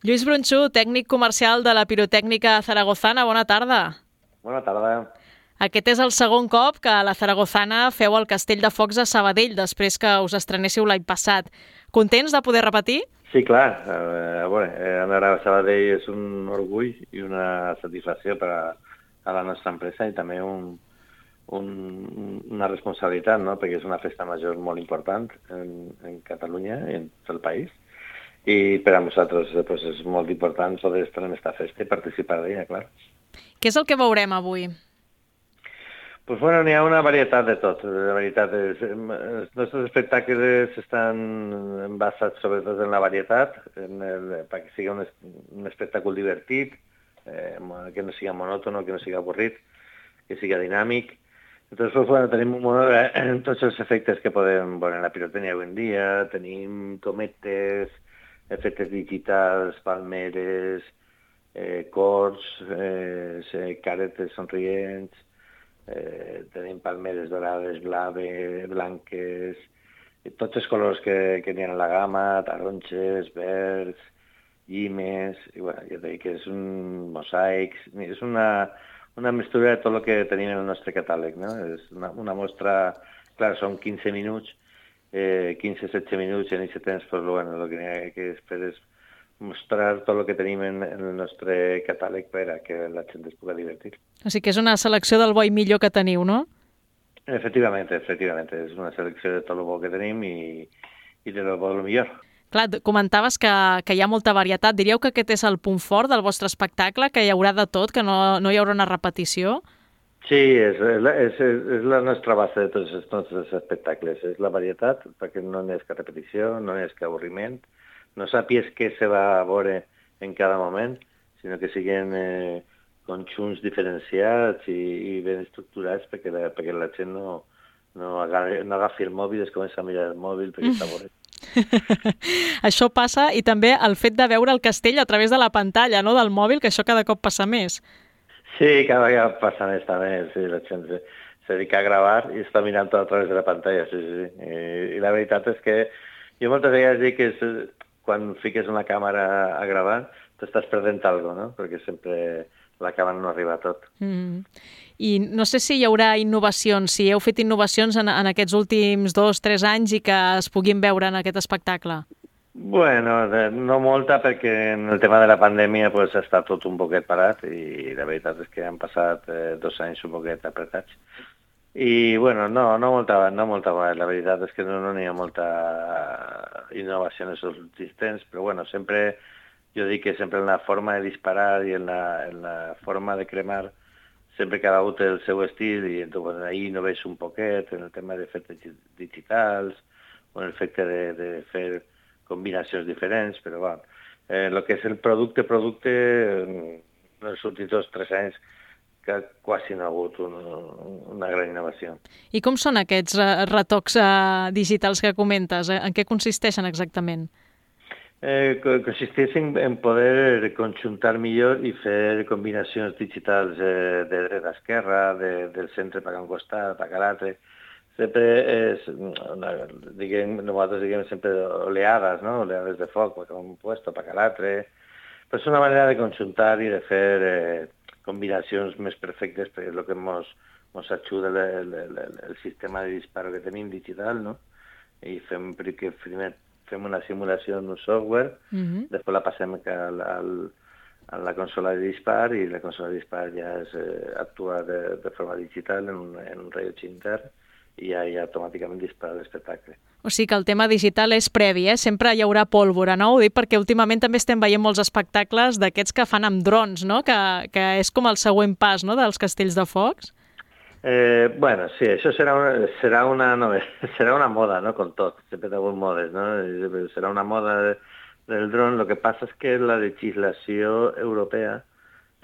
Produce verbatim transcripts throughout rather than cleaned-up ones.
Lluís Bronxú, tècnic comercial de la Pirotècnica Zaragozana, bona tarda. Bona tarda. Aquest és el segon cop que a la Zaragozana feu el Castell de Focs a Sabadell, després que us estrenéssiu l'any passat. Contents de poder repetir? Sí, clar. A veure, anar a Sabadell és un orgull i una satisfacció per a, a la nostra empresa i també un, un, una responsabilitat, no? Perquè és una festa major molt important en, en Catalunya i en tot el país. I per a nosaltres pues, és molt important poder estar en aquesta festa i participar d'ella, clar. Què és el que veurem avui? Pues bueno, n'hi ha una varietat de tot. La veritat és, els nostres espectacles estan basats sobretot en la varietat, en el, perquè sigui un, un espectacle divertit, eh, que no sigui monòtono, que no sigui avorrit, que sigui dinàmic. Entonces, pues bueno, tenim un, eh, tots els efectes que podem veure en la pirotècnia avui en dia. Tenim cometes, efectes digitals, palmeres, eh, cors, eh, caretes somrients, Eh, tenim palmeres dorades, blaves, blanques, tots els colors que, que n'hi ha en la gamma, taronges, verds, llimes, i bueno, jo dic que és un mosaic, és una, una mistura de tot el que tenim en el nostre catàleg, no? És una, una mostra, clar, són quinze minuts, eh, quinze setze minuts, i en aquest temps, pues, bueno, el que n'hi ha que fer és mostrar tot el que tenim en, en el nostre catàleg per a que la gent es pugui divertir. O sigui que és una selecció del bo i millor que teniu, no? Efectivament, efectivament. És una selecció de tot el bo que tenim i, i de lo bo del millor. Clar, comentaves que, que hi ha molta varietat. Diríeu que aquest és el punt fort del vostre espectacle, que hi haurà de tot, que no, no hi haurà una repetició? Sí, és, és, és la nostra base de tots els nostres espectacles. És la varietat, perquè no n'hi ha que repetició, no n'hi ha que avorriment, no sàpies què se va a veure en cada moment, sinó que siguin eh, conjunts diferenciats i, i ben estructurats perquè la, perquè la gent no, no, agafi, no agafi el mòbil i es comença a mirar el mòbil perquè està avorrit. Això passa, i també el fet de veure el castell a través de la pantalla, no, del mòbil, que això cada cop passa més. Sí, cada vegada passa més també. Sí, la gent se, se dedica a gravar i està mirant tot a través de la pantalla. Sí, sí, sí. I, I la veritat és que jo moltes vegades dic que és, quan fiques una càmera a gravar, t'estàs perdent alguna cosa, no? Perquè sempre la càmera no arriba a tot. Mm. I no sé si hi haurà innovacions, si heu fet innovacions en, en aquests últims dos, tres anys i que es puguin veure en aquest espectacle. Bueno, no molta, perquè en el tema de la pandèmia pues, està tot un poquet parat i la veritat és que han passat eh, dos anys un poquet apretats. I, bueno, no, no molta, no molta, la veritat és que no n'hi no ha molta innovació en els últims temps, però, bueno, sempre, jo dic que sempre en la forma de disparar i en la, en la forma de cremar, sempre cada un té el seu estil, i entonces, bueno, ahí no veig un poquet en el tema d'efectes digitals, o en el efecte de, de fer combinacions diferents, però, bueno, eh, el que és el producte, producte, en els últims dos, tres anys, que quasi no ha hagut un, una gran innovació. I com són aquests retocs uh, digitals que comentes? En què consisteixen exactament? Eh, consisteixen en poder conjuntar millor i fer combinacions digitals eh, de dreta a esquerra, de, del centre per a un costat, per a l'altre. Sempre és, una, diguem, nosaltres diguem sempre oleades, no? Oleades de foc, per a un puesto, per a l'altre. Però és una manera de conjuntar i de fer eh, combinacions més perfectes, perquè és el que ens ens ajuda el, el, el, el sistema de disparo que tenim digital, no? I fem, perquè primer fem una simulació en un software, uh-huh. Després la passem al, al, a la consola de dispar i la consola de dispar ja es, eh, actua de, de forma digital en un, en un rellotge intern i ja, ja automàticament dispara l'espectacle. O sigui que el tema digital és previ, eh? Sempre hi haurà pólvora, no? Ho dic perquè últimament també estem veient molts espectacles d'aquests que fan amb drons, no? Que, que és com el següent pas, no?, dels castells de focs. Eh, bueno, sí, això serà una, serà una, no, serà una moda, no?, com tot, sempre hi ha hagut modes, no? Serà una moda de, del dron. El que passa és que la legislació europea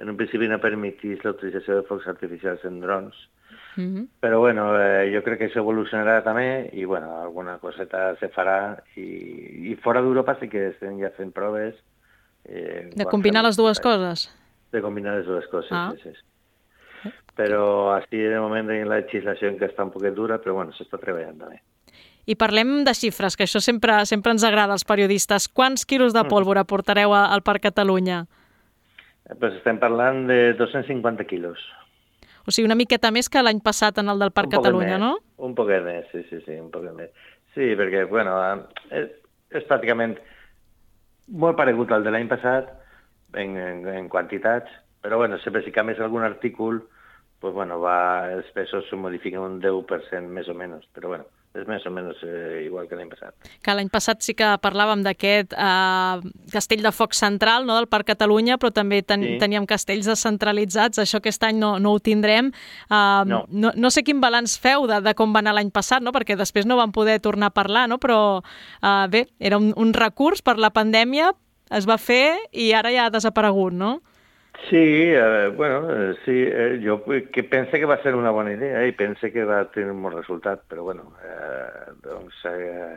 en un principi no permetís la utilització de focs artificials en drons. Uh-huh. Però bueno, eh, jo crec que això evolucionarà també i bueno, alguna coseta se farà i, i fora d'Europa sí que estem ja fent proves. Eh, de combinar les dues coses? De combinar les dues coses, ah. sí, sí. Però així de moment tenim la legislació que està un poquet dura, però bueno, s'està treballant també. I parlem de xifres, que això sempre sempre ens agrada als periodistes. Quants quilos de pólvora portareu al Parc Catalunya? Pues estem parlant de dos-cents cinquanta quilos. O sigui, una miqueta més que l'any passat en el del Parc Catalunya, no? Un poquet més, sí, sí, sí, un poquet més. Sí, perquè, bueno, és, és pràcticament molt paregut al de l'any passat en, en, en quantitats, però, bueno, sempre si canvies algun artícul, pues, bueno, va, els pesos se modifiquen un deu per cent més o menys, però, bueno, és més o menys eh, igual que l'any passat. Que l'any passat sí que parlàvem d'aquest eh, castell de foc central, no?, del Parc Catalunya, però també ten sí. teníem castells descentralitzats. Això aquest any no, no ho tindrem. Uh, no. No, no sé quin balanç feu de, de com va anar l'any passat, no?, perquè després no vam poder tornar a parlar, no?, però uh, bé, era un, un recurs per la pandèmia, es va fer i ara ja ha desaparegut, no? Sí, eh, bueno, eh, sí, eh, jo que pense que va ser una bona idea i pense que va tenir un bon resultat, però bueno, eh, doncs eh,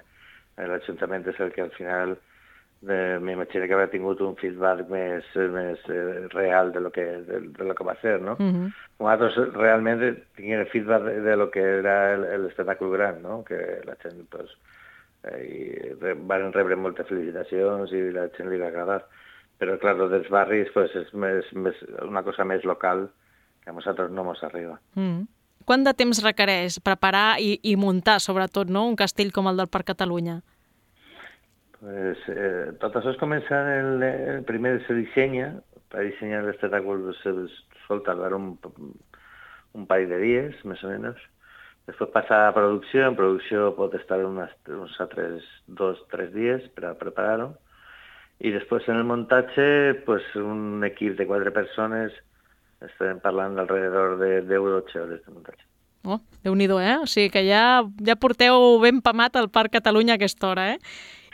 l'Ajuntament és el que al final eh, m'imagino que haurà tingut un feedback més, més eh, real de lo que, de, de lo que va ser, no? Uh-huh. Nosaltres realment tinguem feedback de, de lo que era l'espectacle gran, no? Que la gent, pues, eh, i van rebre moltes felicitacions i la gent li va agradar. Però, clar, dels barris pues, és més, més, una cosa més local que a nosaltres no ens arriba. Mm. Quant de temps requereix preparar i, i muntar, sobretot, no?, un castell com el del Parc Catalunya? Pues, eh, tot això es comença, el, el primer se dissenya, per dissenyar l'espectacle se sol tardar un, un parell de dies, més o menys. Després passa a producció, en producció pot estar unes, uns altres dos, tres dies per a preparar-ho. I després en el muntatge, pues, un equip de quatre persones, estem parlant d'alrededor de deu o dotze hores de muntatge. Oh, Déu-n'hi-do, eh? O sigui que ja, ja porteu ben pamat al Parc Catalunya a aquesta hora, eh?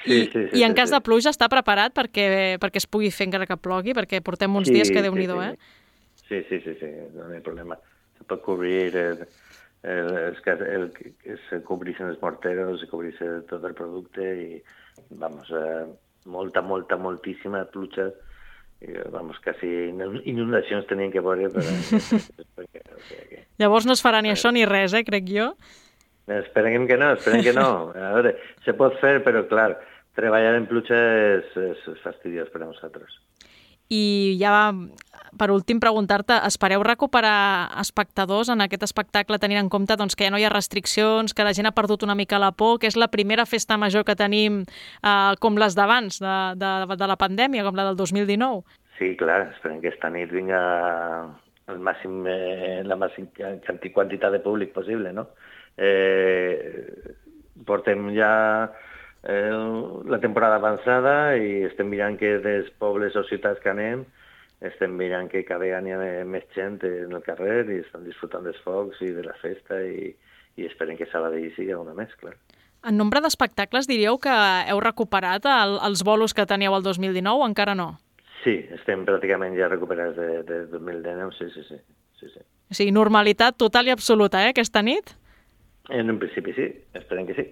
Sí, I, sí, sí, I en sí, cas sí. de pluja està preparat perquè, perquè es pugui fer encara que plogui? Perquè portem uns sí, dies que Déu-n'hi-do, sí, eh? Sí, sí, sí, sí, no hi ha problema. Se pot cobrir, el, el, el, el, el, se cobreixen els morteros, se cobreix tot el producte i, vamos, eh, molta, molta, moltíssima pluja, i, vamos, quasi inundacions tenien que veure. Per... perquè, o sigui, que... Llavors no es farà ni eh... això ni res, eh, crec jo. Esperem que no, esperem que no. A veure, se pot fer, però, clar, treballar en pluja és, és fastidiós per a nosaltres. I ja, per últim, preguntar-te, espereu recuperar espectadors en aquest espectacle tenint en compte doncs, que ja no hi ha restriccions, que la gent ha perdut una mica la por, que és la primera festa major que tenim eh, com les d'abans, de, de, de la pandèmia, com la del dos mil dinou? Sí, clar, esperem que esta nit vinga el màxim, eh, la màxima quantitat de públic possible, no? Eh, portem ja Eh, la temporada avançada i estem mirant que dels pobles o ciutats que anem estem mirant que cada any hi ha més gent en el carrer i estan disfrutant dels focs i de la festa i, i esperem que Sabadell sigui una més, clar. En nombre d'espectacles diríeu que heu recuperat el, els bolos que teníeu el dos mil dinou o encara no? Sí, estem pràcticament ja recuperats de, de dos mil dinou, sí, sí, sí, sí, sí. O sigui, normalitat total i absoluta, eh, aquesta nit? En un principi sí, esperem que sí.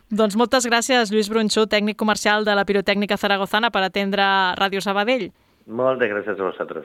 Doncs moltes gràcies, Lluís Brunxó, tècnic comercial de la Pirotècnica Zaragozana, per atendre Ràdio Sabadell. Moltes gràcies a vosaltres.